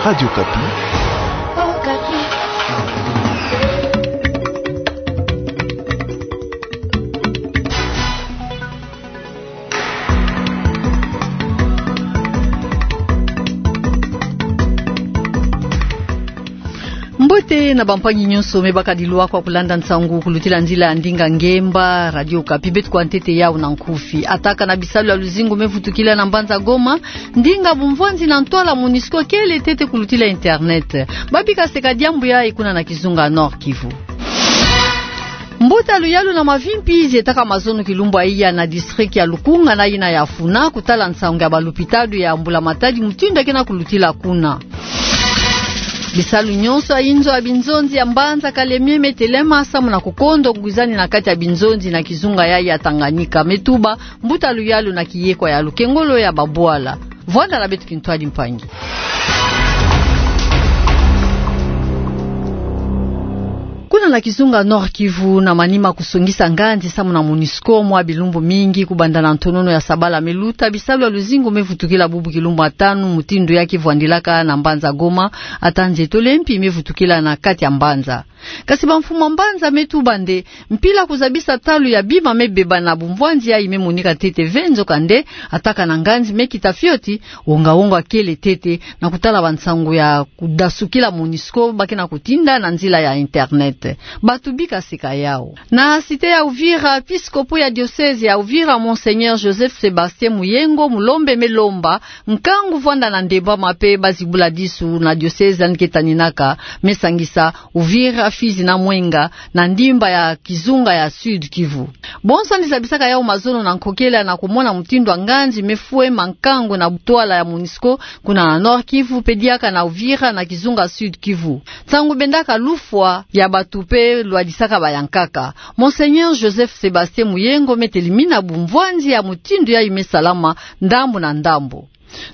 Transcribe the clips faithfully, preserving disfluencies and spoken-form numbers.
Radio Okapi. Mbote na bampangi nyonso me baka dilwa kwa kulanda nsangu kulutila nzila ya ndinga ngemba Radio Okapi. Beto kwa ntete yau na nkufi. Ataka na bisalu ya luzingu me vutukila na mbanza Goma. Ndinga bumvwanzi na ntwala MONUSCO kele tete kulutila internet. Babika seka diambu yayi kuna na kizunga Nord-Kivu. Mbuta luyalu na mavimpi zietaka mazono kilumbu ya iya na district ya Lukunga na yina ya Funa kutala nsangu ya balupitadu ya mbula matadi mutindu ya kena kulutila kuna. Bisalu nyonso ya inzo ya binzonzi ya mbanza Kalemie me telema samu na kukondo ngwizani na kati ya binzonzi na kizunga yayi ya Tanganyika, me tuba mbuta luyalu na kiyekwa ya lukengolo ya babwala. Vwanda na beto kintwadi mpangi. Kuna na kizunga Nord-Kivu, na manima kusongisa nganzi samu na MONUSCO mwa bilumbu mingi, kubanda na ntonono ya sabala me luta, bisalu ya luzingu me vutukila bubu kilumbu ya tanu mutindu ya kivwandilaka na mbanza Goma, ata nzietolo mpi me vutukila na kati ya mbanza. Kasi bamfumu ya mbanza me tuba nde mpila kuzabisa talu ya bima me beba na bumvwanzi yayi me monika tete ve, nzokande ataka na nganzi me kita fioti, wonga-wonga kele tete, na kutala bansangu ya kudasukila MONUSCO ba kena kutinda na nzila ya internet. Bato bika seka yau. Na cité ya Uvira, episkopo ya diocèse ya Uvira, Monseigneur Joseph Sébastien Muyengo Mulombe me lomba nkangu vwanda na ndembama pe bazibula disu na diocèse yandi ke taninaka, me sangisa Uvira, Fizi na Mwenga na ndimba ya kizunga ya Sud-Kivu. Bonso yandi zabisaka yau mazono na nkokela na kumona mutindu ya nganzi me fwe ma nkangu na ntwala ya MONUSCO kuna na Nord-Kivu pe diaka na Uvira na kizunga Sud-Kivu. Nsangu bendaka lufwa ya bato pe lwadisaka bayankaka. Monseigneur Joseph Sébastien Muyengo me telimina bumvwanzi ya mutindu yayi me salama ndambu na ndambu.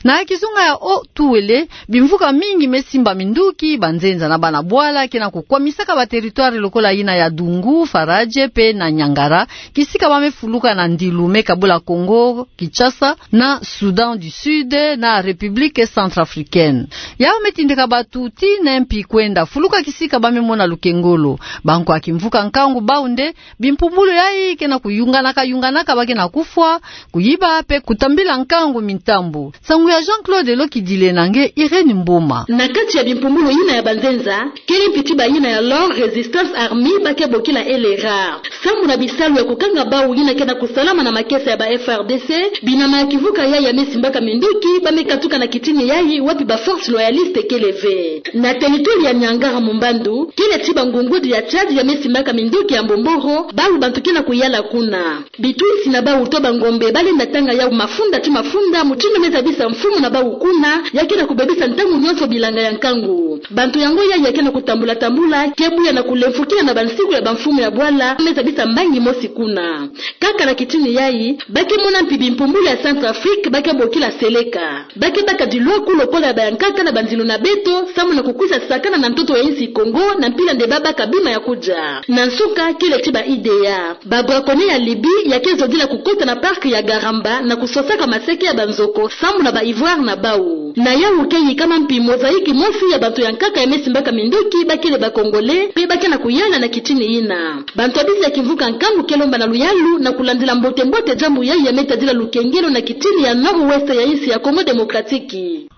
Na kizunga ya Haut-Uélé, bimvuka mingi me simba minduki, banzenza na bana bwala kena kukwamisaka ba territoire lokola yina ya Dungu, Faradje pe na Niangara, kisika ba me fuluka na ndilu me kabula Congo Kinshasa na Soudan du Sud na République Centrafricaine. Yau me tindika bato tii na mpi kwenda fuluka kisika ba me mona lukengolo. Bankwa kimvuka nkangu bau nde bimpumbulu yayi kena kuyunganaka-yunganaka, ba kena kufwa, kuyiba pe kutambila nkangu mintambu. Nsangu ya Jean-Claude Lokidile na nge Irène Mboma. Na kati ya bimpumbulu yina ya banzenza, kele mpi tiba yina ya Lord's Resistance Army ba ke bokila L R A. Samu na bisalu ya kukanga bau yina kena kusalama na makesa ya ba F A R D C, binama ya kimvuka yayi ya me simbaka minduki ba me katuka na kitini yayi wapi ba forces loyalistes kele ve. Na territoire ya Niangara-Mumbandu, kele tiba ngungudu ya Tchad ya me simbaka minduki ya mbomboro, bau bantu kena kuyala kuna. Bitwisi na bau to bangombe ba lenda tanga yau mafunda ti mafunda, mutindu me zabisa mfumu na bau kuna, ya kena kubebisa ntangu nyonso bilanga ya nkangu. Bantu yango yayi ya kena kutambula-tambula, ke buya na kulemfukila na bansiku ya bamfumu ya bwala, me zabisa mbangi mosi kuna. Kaka na kitini yayi, ba ke mona mpi bimpumbulu ya Centrafrique, ba ke bokila Seleka. Ba ke baka dilwaku lokola ya bayankaka na banzilu na beto, samu na kukwisa sakana na ntoto ya insi Congo, na mpila nde ba baka bima ya kudia. Na nsuka, kele tiba I D A. Ba braconniers ya Libye ya ke zodila kukota na parc ya Garamba na kusosaka maseke ya banzoko, samu na ba ivoire na bau. Na yau ke yikama mpi mosaïque mosi ya bantu yankaka ya me simbaka minduki, ba kele ba Congolais, pe ba kena kuyala na kitini yina. Bantu ya bisi ya kimvuka nkangu ke lomba na luyalu na kulandila mbote-mbote diambu yayi ya me tadila lukengelo na kitini ya nord-ouest ya insi ya Congo Démocratique.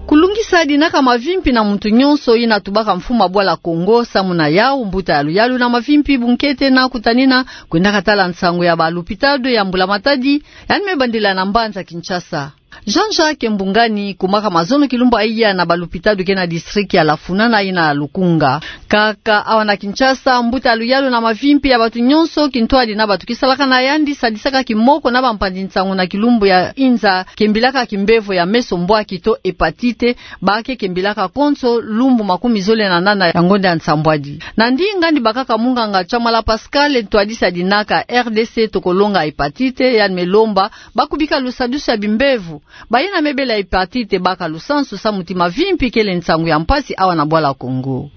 Kulungisa dinaka mavimpi na muntu nyonso, yina tubaka mfumu ya bwala Congo, samu na yau mbuta ya luyalu na mavimpi bunkete na kutanina kwendaka tala nsangu ya ba lupitadu ya mbula matadi, yandi me bandila na mbanza Kinshasa. Jean-Jacques Mbungani kumaka mazono kilumbu ya iya na ba lupitadu ke na district ya Lafuna na yina ya Lukunga. Kaka awa na Kinshasa, mbuta ya luyalu na mavimpi ya bantu nyonso, kintwadi na bantu kisalaka na yandi, sadisaka kimoko na bampanzi nsangu na kilumbu ya inza kembilaka kimbevo ya meso mbwaki to hépatite, ba ke kembilaka konso lumbu makumi zole na nana ya ngonda ya nsambwadi. Na ndinga yandi bakaka munganga Tshamala Pascal, ntwadisi ya dinaka R D C tokolonga hépatite, yandi me lomba ba kubika lusadusu ya bimbevo. Bayina me bela hepatite baka lusansu samu ti mavimpi kele nsangu ya mpasi awa na bwala Kongo.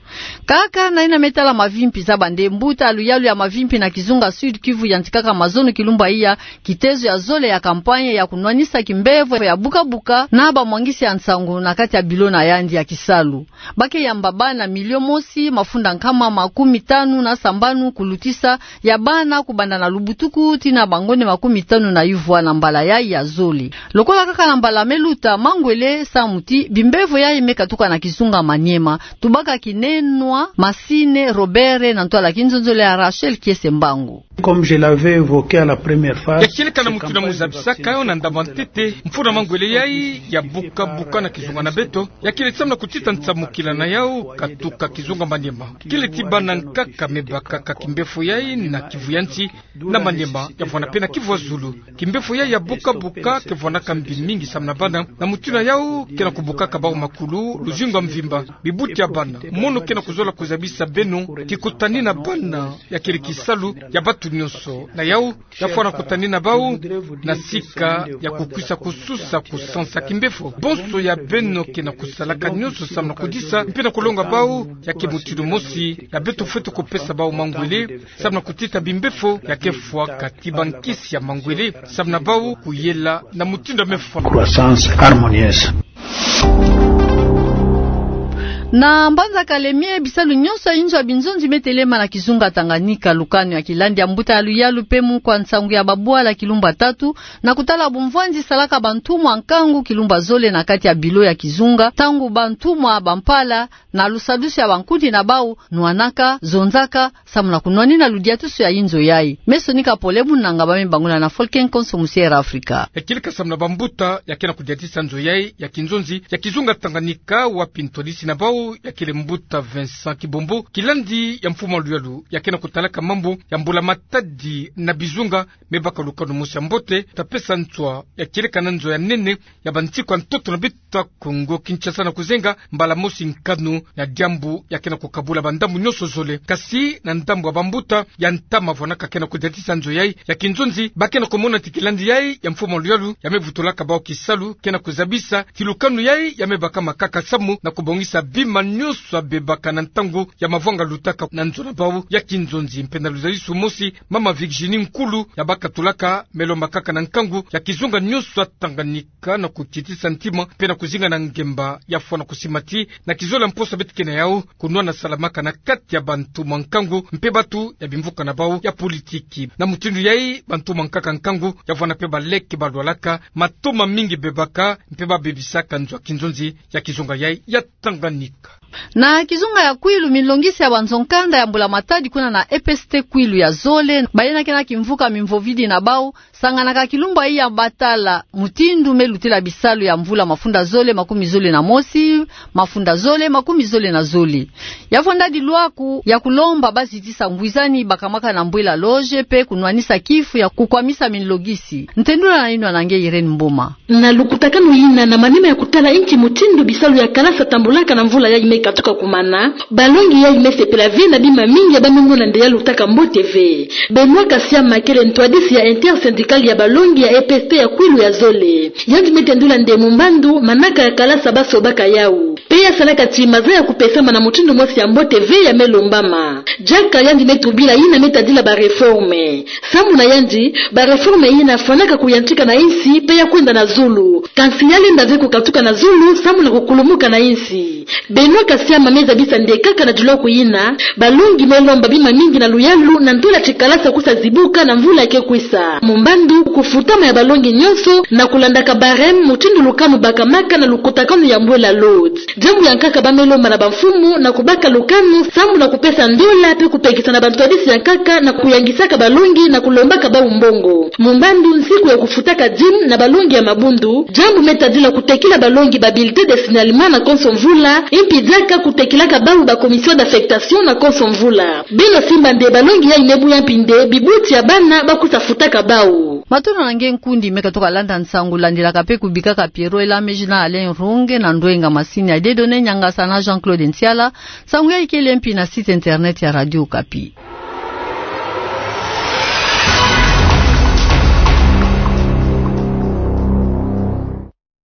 Kaka na yina me tala mavimpi, zaba nde mbuta ya luyalu ya mavimpi na kizunga Sud-Kivu yantikaka mazono kilumbu iya kitezo ya zole ya kampanye ya kunwanisa kimbevo ya buka-buka na bamwangisi ya nsangu na kati ya bilo na yandi ya kisalu. Ba ke yamba bana milio mosi mafunda nkama makumi tanu na sambanu kulutisa ya bana kubanda na lubutuku tii na bangonde makumi tanu na yuvwa na mbala yayi ya zole. Lokola kaka na mbala me luta, mangwele samu ti bimbevo yayi me katuka na kizunga Maniema. Tubaka kinenwa Masine Robere na ntwala kinzonzolo ya Rachel Kiese Mbangu. Comme je l'avais évoqué à la première phase, ya kieleka na mutindu na muzabisaka yo na ndambu ya ntete, mfunu ya mangwele yayi ya buka-buka na kizunga na beto, ya kele samu na kutita nsamukila na yau katuka kizunga Maniema. Kele ti bana nkaka me bakaka kimbevo yayi na Kivu ya nsi, na Maniema, ya vwanda mpe na Kivu ya zulu. Kimbevo yayi ya buka-buka ke vwandaka mbi mingi samu na bana, na mutindu na yau ke na kubukaka bau makulu luzingu ya mvimba. Bibuti ya bana, mono ke na kuzola kuzabisa beno, kikutani na bana, ya kele kisalu ya batu nyonso. Na yau, ya fwana kutani na bau na sika ya kukwisa kususa kusansa kimbevo. Bonso ya beno ke na kusalaka nyonso samu na kudisa mpe na kulonga bau, ya ke mutindu mosi ya beto fwete kupesa bau mangwele samu na kutita bimbevo ya ke fwaka ti bankisi ya mangwele samu na bau kuyela na mutindu ya me fwana. Croissance harmonieuse. Na mbanza Kalemie, bisalu nyonso ya inzo ya binzonzi me telema na kizunga Tanganyika. Lukanu ya kilandi ya mbuta ya luyalu mpe mukwa nsangu ya babwala kilumbu ya tatu, na kutala bumvwanzi, salaka bantumwa nkangu kilumbu ya zole na kati ya bilo ya kizunga, ntangu bantumwa bampala na lusadusu ya bankundi na bau nwanaka, zonzaka, samu na kunwanina ludiatusu ya inzo yayi. Me sonika pole bunanga ba me bangula na Folken Konso Musier Afrika. Ya kieleka samu na bambuta ya ke na kudiatisa nzo yayi ya kinzonzi ya kizunga Tanganyika, wapi ntwadisi na bau ya kele mbuta Vincent Kibombo, kilandi ya mfumu ya luyalu ya ke na kutalaka mambu ya mbula-matadi na bizunga, me baka lukanu mosi ya mbote, ta pesa nswa ya kieleka na nzo ya nene ya bansiku ya ntoto na beto ya Kongo Kinshasa na kuzenga mbala mosi nkanu ya diambu ya ke na kukabula bandambu nyonso zole. Kasi na ndambu ya bambuta ya ntama vwanaka ke na kudiatisa nzo yayi ya kinzonzi, ba ke na kumona ti kilandi yayi ya mfumu ya luyalu ya me vutulaka bau kisalu ke na kuzabisa ti lukanu yayi ya me baka makaka samu na kubongisa bima nyonso ya bebaka na ntangu ya mavwanga lutaka na nzo na bau ya kinzonzi. Mpe na luzalisu mosi, mama Virginie Nkulu ya bakatulaka me lombakaka na nkangu ya kizunga nyonso ya Tanganyika ka na kukitisa ntima mpe na kuzinga na ngemba ya fwana kusimati na kizole ya mposo beto ke na yau, kunwana salamaka na kati ya bantumwa nkangu mpe batu ya bimvuka na bau ya politiki. Na mutindu yayi, bantumwa nkaka nkangu ya vwanda mpe baleke balwalaka, matoma mingi bebaka mpe babebisaka nzo ya kinzonzi ya kizunga yayi ya Tanganyika. Na kizunga ya Kwilu, milongisi ya banzo-nkanda ya mbula-matadi kuna na E P S T Kwilu ya zole, bayinakena kimvuka mimvovidi na bau, sanganaka kilumbu yayi ya batala mutindu me lutila bisalu ya mvula mafunda zole makumi zole na mosi, mafunda zole makumi zole na zole. Ya vwandadi lwaku ya kulomba bazitisa ngwizani bakamaka na mbwela loge mpe kunwanisa kifu ya kukwamisa milongisi. Ntendula na yinwa na nge Irène Mboma. Na lukutakanu yina na manima ya kutala inki mutindu bisalu ya kalasa tambulaka na mvula yayi me katuka kumana, balongi yayi me sepela ve na bima mingi ya ba me mona nde ya lutaka mbote ve. Benoît Kasiama kele ntwadisi ya Intersyndical ya balongi ya E P S T ya Kwilu ya zole. Yandi me tendula nde mumbandu manaka ya kalasa ba sobaka yau, mpe ya salaka ti maza ya kupesama na mutindu mosi ya mbote ve ya me lombama. Diaka yandi me tubila yina me tadila ba réforme. Samu na yandi, ba réforme yina fwanaka kuyantika na insi mpe ya kwenda na zulu. Kansi ya lenda ve kukatuka na zulu samu na kukulumuka na insi. Benoît Kasiama me zabisa nde kaka na dilwaku yina, balongi me lomba bima mingi na luyalu na ntwala ti kalasa kusa zibuka na mvula ke kwisa. Mumbandu kufutama ya balongi nyonso na kulandaka barème mutindu lukanu bakamaka na lukutakanu ya mbwela loge. Diambu ya nkaka ba me lomba na bamfumu na kubaka lukanu samu na kupesa ndola mpe kupekisa na bantwadisi ya nkaka na kuyangisaka balongi na kulombaka bau mbongo. Mumbandu nsiku ya kufutaka dîme na balongi ya mabundu, diambu me tadila kutekila balongi ba bulletin de signalement na konso mvula, impi diaka kutekilaka bau ba commission d'affectation na konso mvula. Beno simba nde balongi yayi me buya mpi nde bibuti ya bana ba kusa futaka bau. Matondo na nge nkundi me katuka landa nsangu, landilaka mpe kubikaka Pierrot Elameji na Alain Runge na ndwenga masini ya Dieudonné Niangasa na Jean-Claude Ntiala. Nsangu yayi kele mpi na site internet ya Radio Okapi.